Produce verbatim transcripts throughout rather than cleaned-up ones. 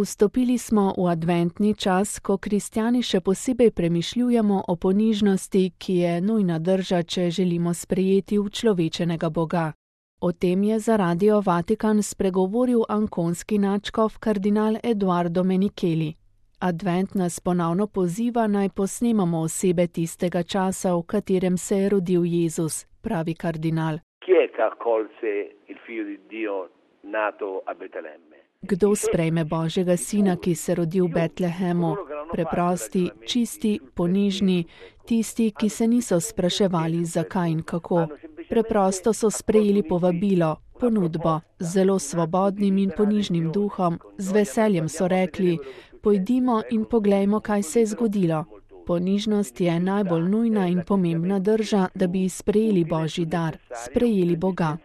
Vstopili smo v adventni čas, ko kristjani še posebej premišljujemo o ponižnosti, ki je nujna drža, če želimo sprejeti učlovečenega Boga. O tem je za Radio Vatikan spregovoril ankonski nadškof kardinal Edoardo Menichelli. Advent nas ponovno poziva, naj posnemamo osebe tistega časa, v katerem se je rodil Jezus, pravi kardinal. Kdo sprejme Božjega sina, ki se rodi v Betlehemu? Preprosti, čisti, ponižni, tisti, ki se niso spraševali, zakaj in kako. Preprosto so sprejeli povabilo, ponudbo, zelo svobodnim in ponižnim duhom, z veseljem so rekli, pojdimo in poglejmo, kaj se je zgodilo. Ponižnost je najbolj nujna in pomembna drža, da bi sprejeli Božji dar, sprejeli Boga.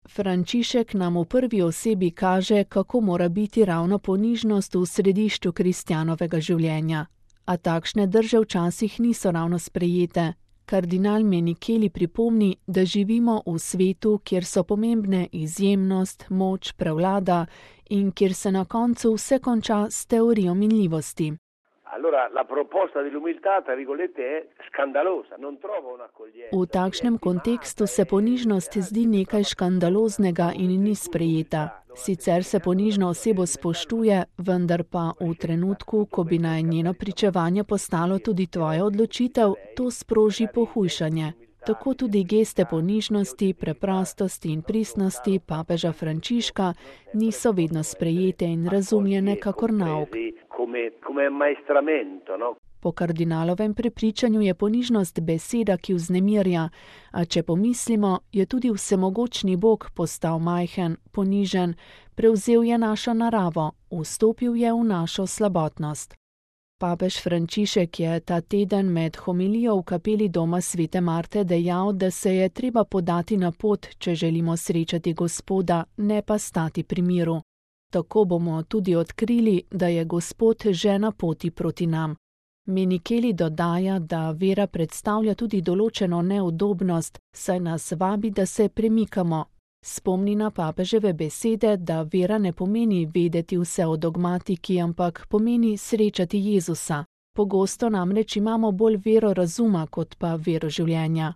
Frančišek nam v prvi osebi kaže, kako mora biti ravno ponižnost v središču kristjanovega življenja. A takšne drže včasih niso ravno sprejete. Kardinal Menichelli pripomni, da živimo v svetu, kjer so pomembne izjemnost, moč, prevlada in kjer se na koncu vse konča s teorijo minljivosti. V takšnem kontekstu se ponižnost zdi nekaj škandaloznega in ni sprejeta. Sicer se ponižno osebo spoštuje, vendar pa v trenutku, ko bi naj njeno pričevanje postalo tudi tvoja odločitev, to sproži pohujšanje. Tako tudi geste ponižnosti, preprostosti in pristnosti papeža Frančiška niso vedno sprejete in razumljene kakor nauk. Po kardinalovem prepričanju je ponižnost beseda, ki vznemirja, a če pomislimo, je tudi vsemogočni Bog postal majhen, ponižen, prevzel je našo naravo, vstopil je v našo slabotnost. Papež Frančišek je ta teden med homilijo v kapeli doma svete Marte dejal, da se je treba podati na pot, če želimo srečati Gospoda, ne pa stati pri miru. Tako bomo tudi odkrili, da je Gospod že na poti proti nam. Menichelli dodaja, da vera predstavlja tudi določeno neudobnost, saj nas vabi, da se premikamo. Spomni na papeževe besede, da vera ne pomeni vedeti vse o dogmatiki, ampak pomeni srečati Jezusa. Pogosto namreč imamo bolj vero razuma, kot pa vero življenja.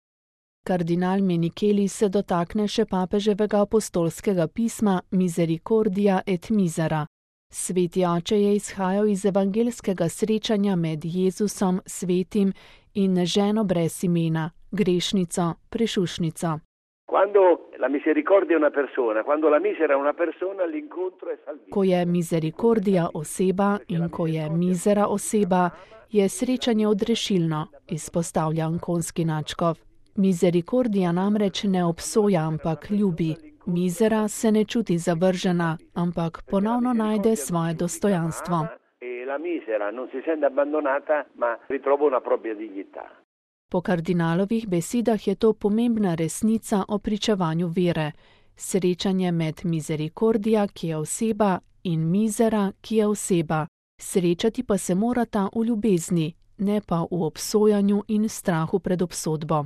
Kardinal Menichelli se dotakne še papeževega apostolskega pisma Misericordia et Misera. Sveti oče je izhajal iz evangelskega srečanja med Jezusom, svetim in ženo brez imena, grešnico, prešušnico. Ko je misericordia oseba in ko je misera oseba, je srečanje odrešilno, izpostavlja ankonski nadškof. Misericordia namreč ne obsoja, ampak ljubi. Misera se ne čuti zavržena, ampak ponovno najde svoje dostojanstvo. Po kardinalovih besedah je to pomembna resnica o pričevanju vere. Srečanje med misericordia, ki je oseba, in misera, ki je oseba. Srečati pa se morata v ljubezni, ne pa v obsojanju in strahu pred obsodbo.